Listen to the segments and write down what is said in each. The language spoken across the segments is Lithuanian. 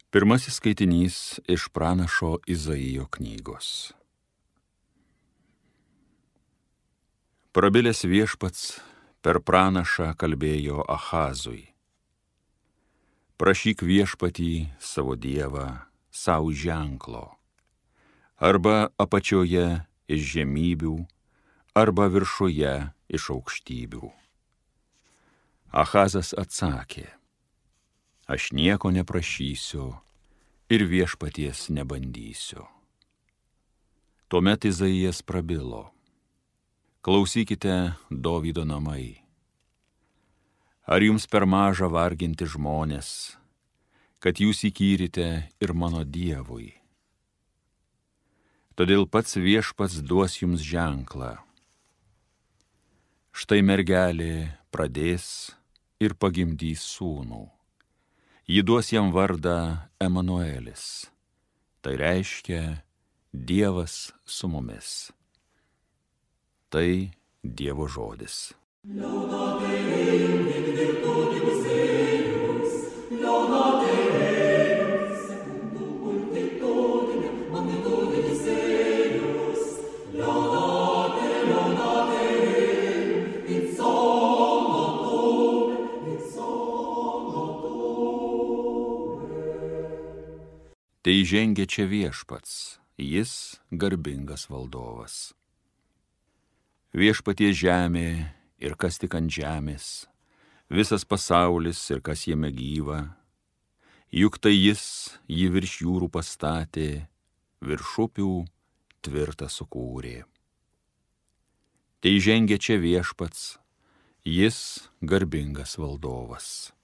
Pirmasis skaitinys iš pranašo Izaijo knygos. Prabilęs viešpats per pranašą kalbėjo Ahazui. Prašyk viešpatį savo dievą savo ženklo, arba apačioje iš žemybių, arba viršuje iš aukštybių. Ahazas atsakė: aš nieko neprašysiu ir viešpaties nebandysiu. Tuomet Izaijas prabilo: klausykite, Dovydo namai. Ar jums per maža varginti žmonės, kad jūs įkyrite ir mano Dievui? Todėl pats viešpats duos jums ženklą. Štai mergelė pradės ir pagimdys sūnų. Ji duos jam vardą Emanuelis. Tai reiškia Dievas su mumis. Tai Dievo žodis. Tai žengia čia viešpats, jis garbingas valdovas. Viešpaties žemė ir kas tik ant žemės, visas pasaulis ir kas jame gyva, juk tai jis jį virš jūrų pastatė, virš upių tvirtą sukūrė. Tai žengia čia viešpats, jis garbingas valdovas.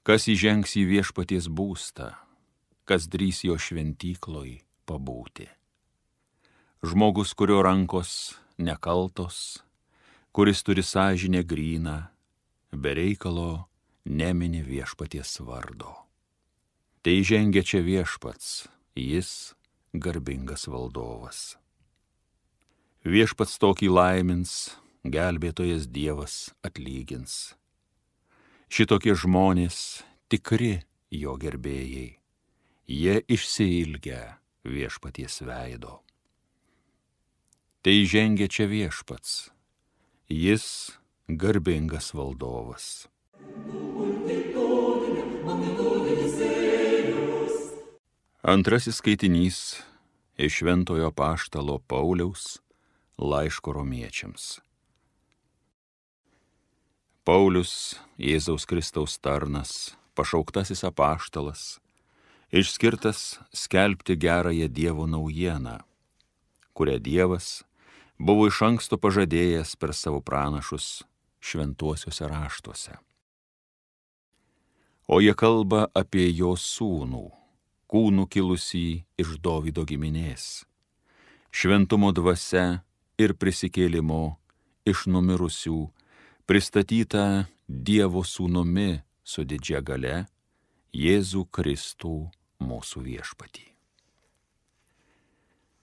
Kas įžengs į viešpaties būstą, kas drįs jo šventykloj pabūti. Žmogus, kurio rankos nekaltos, kuris turi sąžinę gryną, be reikalo nemini viešpaties vardo. Tai žengia čia viešpats, jis garbingas valdovas. Viešpats tokį laimins, gelbėtojas Dievas atlygins. Šitokie žmonės tikri jo gerbėjai. Jie išsiilgia viešpaties veido. Tai žengia čia viešpats, jis garbingas valdovas. Antrasis skaitinys iš Šventojo apaštalo Pauliaus laiško romiečiams. Paulius, Jėzaus Kristaus tarnas, pašauktasis apaštalas, išskirtas skelbti gerąją Dievo naujieną, kurią Dievas buvo iš anksto pažadėjęs per savo pranašus šventuosiuose raštuose. O jie kalba apie jo sūnų, kūnų kilusį iš Dovydo giminės, šventumo dvasia ir prisikėlimo iš numirusių, pristatytą Dievo sūnumi su didžia galia, Jėzų Kristų mūsų viešpatį.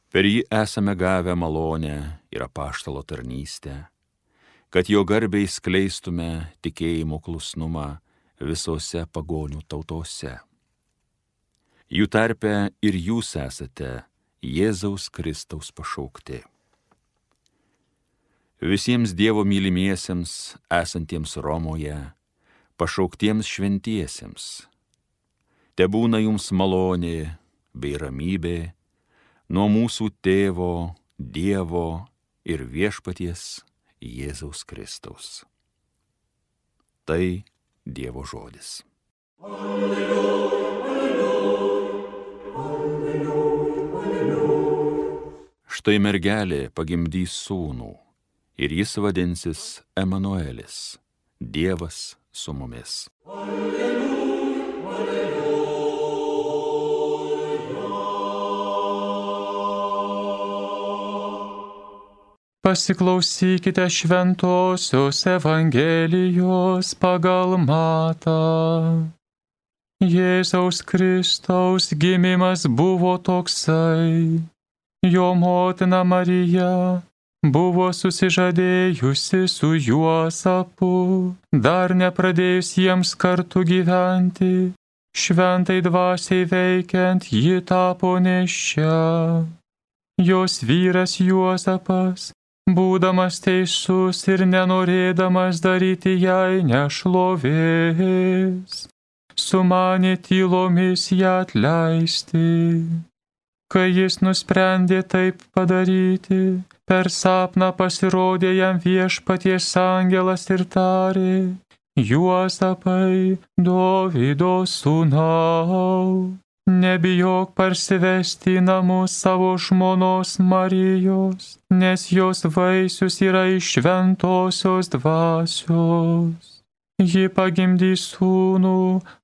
Per jį esame gavę malonę ir apaštalo tarnystę, kad jo garbei skleistume tikėjimo klusnumą visose pagonių tautose. Jų tarpe ir jūs esate Jėzaus Kristaus pašaukti. Visiems Dievo mylimiesiems esantiems Romoje, pašauktiems šventiesiems, tebūna jums malonė bei ramybė nuo mūsų Tėvo, Dievo ir viešpaties Jėzaus Kristaus. Tai Dievo žodis. Alleluja, alleluja, alleluja, alleluja. Štai mergelė pagimdys sūnų ir jis vadinsis Emanuelis, Dievas su mumis. Alleluja, alleluja. Pasiklausykite šventosios Evangelijos pagal Matą. Jėzaus Kristaus gimimas buvo toksai. Jo motina Marija buvo susižadėjusi su Juozapu, dar nepradėjus jiems kartu gyventi, Šventai dvasiai veikiant ji tapo nėščia. Jos vyras Juozapas, būdamas teisus ir nenorėdamas daryti jai nešlovės, sumanė tylomis ją atleisti. Kai jis nusprendė taip padaryti, per sapną pasirodė jam Viešpaties angelas ir tarė: Juozapai, Dovydo sūnau, nebijok parsivesti į namus savo žmonos Marijos, nes jos vaisius yra iš šventosios dvasios. Ji pagimdys sūnų,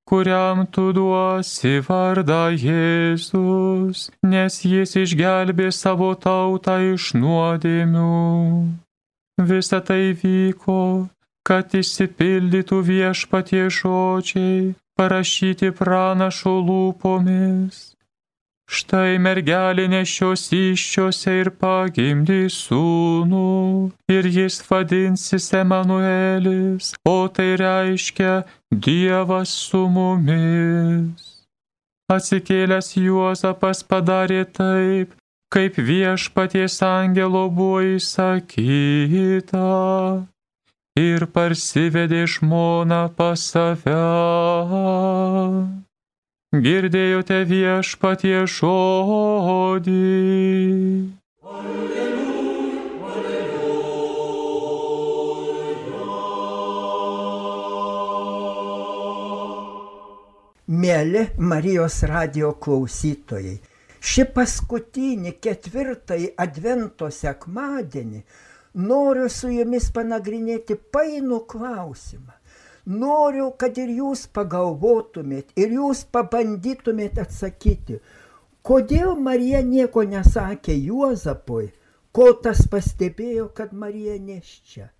kuriam tu duosi vardą Jėzus, nes jis išgelbė savo tautą iš nuodėmių. Visa tai vyko, kad išsipildytų Viešpaties žodžiai, parašyti pranašo lūpomis. Štai mergelė nešios įsčiose ir pagimdys sūnų, ir jis vadinsis Emanuelis, o tai reiškia Dievas su mumis. Atsikėlęs Juozapas padarė taip, kaip Viešpaties angelo buvo įsakyta, ir parsivedė žmoną pas save. Girdėjote Viešpaties žodį. Mieli Marijos radijo klausytojai, šį paskutinį 4. advento sekmadienį noriu su jumis panagrinėti painų klausimą. Noriu, kad ir jūs pagalvotumėt, ir jūs pabandytumėt atsakyti, kodėl Marija nieko nesakė Juozapui, kol tas pastebėjo, kad Marija nėščia.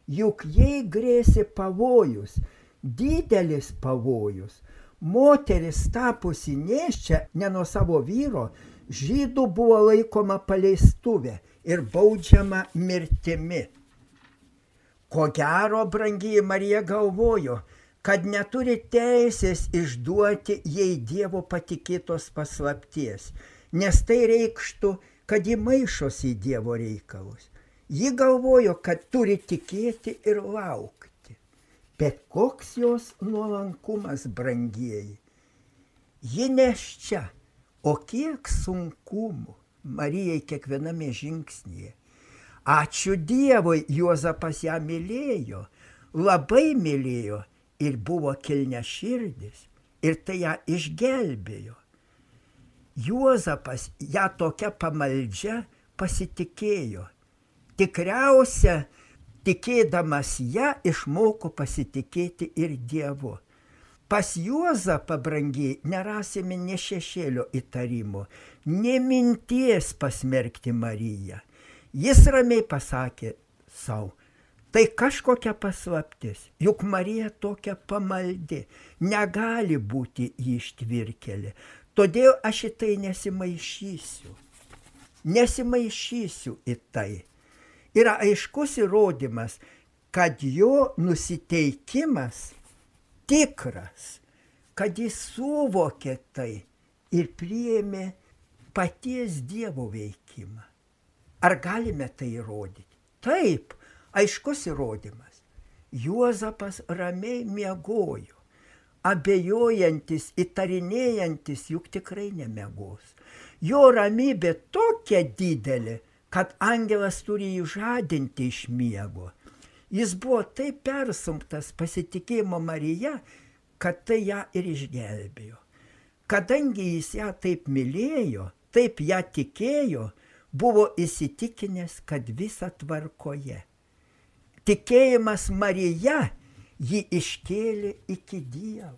Juk jai grėsė pavojus, didelis pavojus. Moteris tapusi nėščia ne nuo savo vyro, žydų buvo laikoma paleistuvė ir baudžiama mirtimi. Ko gero, brangieji, Marija galvojo, kad neturi teisės išduoti jai Dievo patikėtos paslapties, nes tai reikštų, kad ji maišosi į Dievo reikalus. Ji galvojo, kad turi tikėti ir laukti. Bet koks jos nuolankumas, brangieji. Ji nėščia, o kiek sunkumų Marijai kiekviename žingsnyje. Ačiū Dievui, Juozapas ją mylėjo, labai mylėjo ir buvo kilniaširdis, ir tai ją išgelbėjo. Juozapas ją tokia pamaldžia pasitikėjo. Tikriausia, tikėdamas ją, išmoko pasitikėti ir Dievu. Pas Juozapą, brangiai, nerasime nė šešėlio įtarimo, nė minties pasmerkti Mariją. Jis ramiai pasakė sau, tai kažkokia paslaptis, juk Marija tokia pamaldi, negali būti ji ištvirkėlė, todėl aš į tai nesimaišysiu į tai. Yra aiškus įrodymas, kad jo nusiteikimas tikras, kad jis suvokė tai ir priėmė paties Dievo veikimą. Ar galime tai įrodyti? Taip, aiškus įrodymas. Juozapas ramiai miegojo, abejojantis, įtarinėjantis, juk tikrai nemiegos. Jo ramybė tokia didelė, kad angelas turi jį žadinti iš miego. Jis buvo taip persumptas pasitikėjimo Marija, kad tai ją ir išgelbėjo. Kadangi jis ją taip mylėjo, taip ją tikėjo, buvo įsitikinęs, kad visa tvarkoje. Tikėjimas Marija jį iškėlė iki Dievo,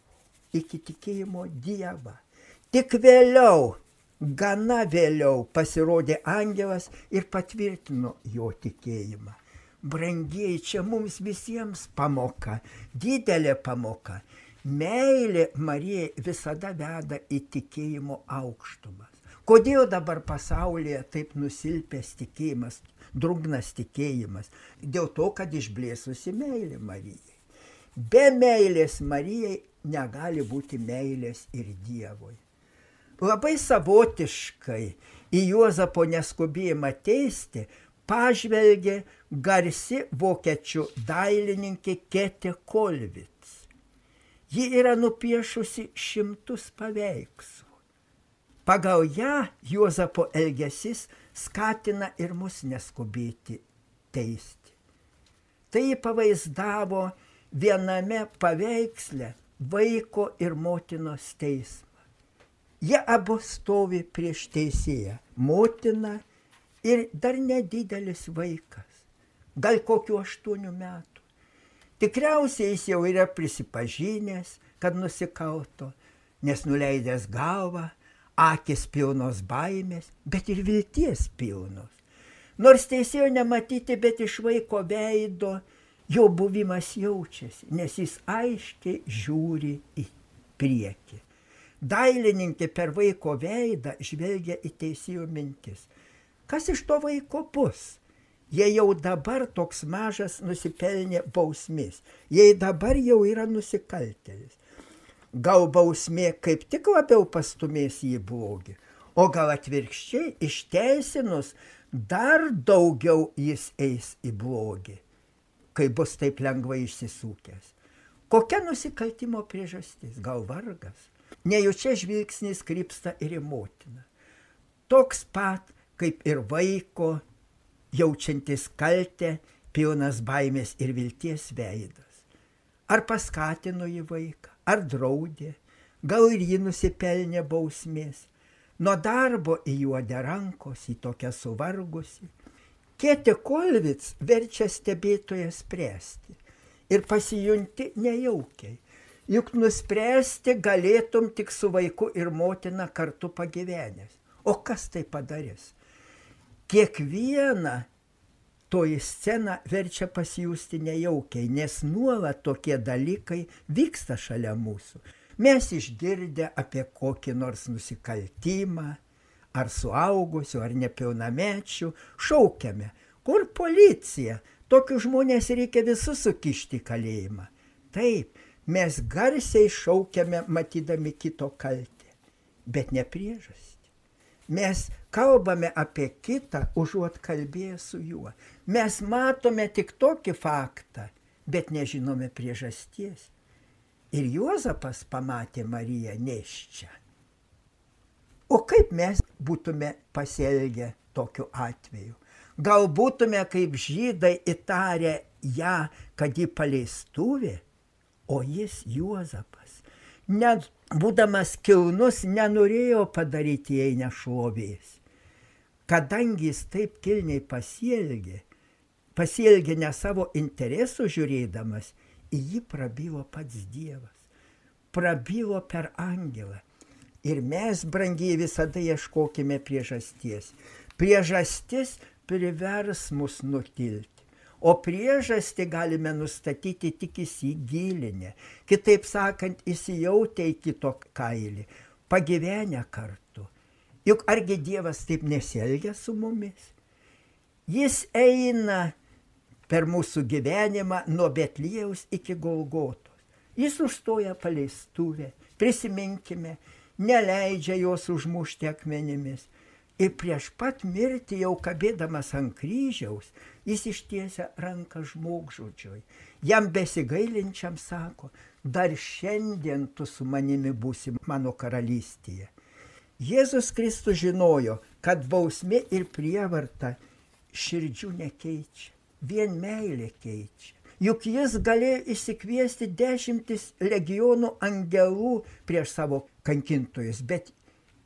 iki tikėjimo Dievą. Tik vėliau, gana vėliau pasirodė angelas ir patvirtino jo tikėjimą. Brangieji, čia mums visiems pamoka, didelė pamoka. Meilė Marijai visada veda į tikėjimo aukštumas. Kodėl dabar pasaulyje taip nusilpęs tikėjimas, drungnas tikėjimas? Dėl to, kad išblėsusi meilė Marijai. Be meilės Marijai negali būti meilės ir Dievui. Labai savotiškai į Juozapo neskubėjimą teisti pažvelgė garsi vokiečių dailininkė Käthe Kollwitz. Ji yra nupiešusi 100 paveikslų. Pagal ją Juozapo elgesys skatina ir mus neskubėti teisti. Tai ji pavaizdavo viename paveiksle vaiko ir motinos teismą. Jie abu stovi prieš teisėją, motina ir dar nedidelis vaikas, gal kokių 8 metų. Tikriausiai jis jau yra prisipažinęs, kad nusikalto, nes nuleidęs galvą, akis pilnos baimės, bet ir vilties pilnos. Nors teisėjo nematyti, bet iš vaiko veido jo buvimas jaučiasi, nes jis aiškiai žiūri į priekį. Dailininkė per vaiko veidą žvelgia į teisėjo mintis. Kas iš to vaiko bus? Jei jau dabar toks mažas nusipelnė bausmės, jei dabar jau yra nusikaltėlis. Gal bausmė kaip tik labiau pastumės į blogį, o gal atvirkščiai išteisinus dar daugiau jis eis į blogį, kai bus taip lengvai išsisukęs. Kokia nusikaltimo priežastis? Gal vargas? Nejučia žvilgsnis krypsta ir į motiną. Toks pat kaip ir vaiko, jaučiantis kaltę, pilnas baimės ir vilties veidas. Ar paskatino jį vaiką, ar draudė, gal ir jį nusipelnė bausmės. Nuo darbo įjuodė rankos, į tokią suvargusi. Käthe Kollwitz verčia stebėtoją spręsti ir pasijunti nejaukiai. Juk nuspręsti galėtum tik su vaiku ir motina kartu pagyvenęs. O kas tai padarys? Kiekvieną toji scena verčia pasijusti nejaukiai, nes nuolat tokie dalykai vyksta šalia mūsų. Mes išgirdę apie kokį nors nusikaltimą, ar suaugusių, ar nepilnamečių, šaukiame, kur policija, tokius žmonės reikia visus sukišti į kalėjimą. Taip, mes garsiai šaukiame matydami kito kaltę, bet ne priežastį. Mes kalbame apie kitą, užuot kalbėję su juo. Mes matome tik tokį faktą, bet nežinome priežasties. Ir Juozapas pamatė Mariją nėščią. O kaip mes būtume pasielgę tokiu atveju? Gal būtume kaip žydai įtarę ją, kad ji paleistuvė, o jis Juozapas. Net būdamas kilnus nenorėjo padaryti jai nešlovės. Kadangi jis taip kilniai pasielgė ne savo interesų žiūrėdamas, į jį prabilo pats Dievas. Prabilo per angelą. Ir mes, brangiai, visada ieškokime priežasties. Priežastis privers mus nutilti. O priežastį galime nustatyti tik įsigilinę. Kitaip sakant, įsijautę į kito kailį, pagyvenę kartu. Juk argi Dievas taip nesielgia su mumis? Jis eina per mūsų gyvenimą nuo Betliejaus iki Golgotos. Jis užstoja paleistuvę, prisiminkime, neleidžia jos užmušti akmenimis. Ir prieš pat mirtį, jau kabėdamas ant kryžiaus, jis ištiesia ranką žmogžudžiui. Jam besigailinčiam sako, dar šiandien tu su manimi būsi mano karalystėje. Jėzus Kristus žinojo, kad bausmė ir prievarta širdžių nekeičia, vien meilė keičia. Juk jis galėjo išsikviesti 10 legionų angelų prieš savo kankintojus, bet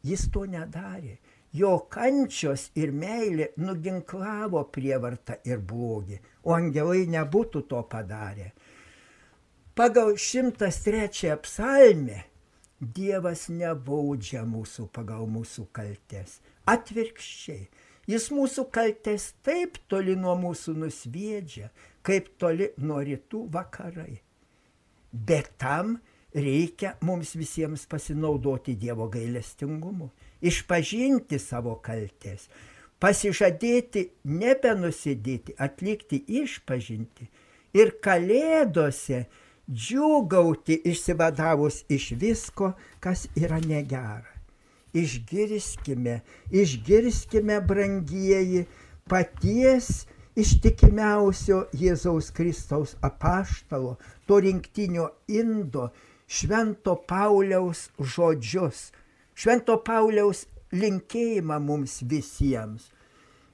jis to nedarė. Jo kančios ir meilė nuginklavo prievartą ir blogį, o angelai nebūtų to padarę. Pagal 103 psalmę Dievas nebaudžia mūsų pagal mūsų kaltes. Atvirkščiai, jis mūsų kaltes taip toli nuo mūsų nusviedžia, kaip toli nuo rytų vakarai. Bet tam reikia mums visiems pasinaudoti Dievo gailestingumu, išpažinti savo kaltes, pasižadėti nebenusidėti, atlikti išpažinti ir kalėdose džiūgauti išsivadavus iš visko, kas yra negera. Išgirskime, brangieji, paties ištikimiausio Jėzaus Kristaus apaštalo, to rinktinio indo, Švento Pauliaus žodžius, Švento Pauliaus linkėjimą mums visiems.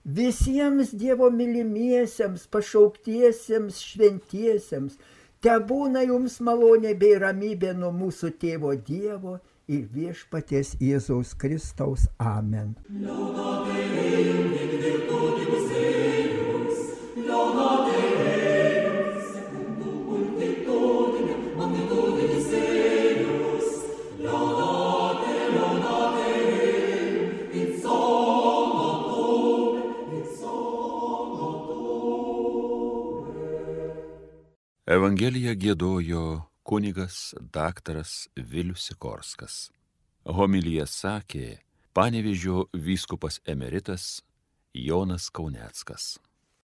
Visiems Dievo mylimiesiems, pašauktiesiems, šventiesiems, tebūna jums malonė bei ramybė nuo mūsų tėvo Dievo ir viešpaties Jėzaus Kristaus. Amen. Evangeliją giedojo kunigas daktaras Vilius Sikorskas. Homiliją sakė Panevėžio vyskupas emeritas Jonas Kauneckas.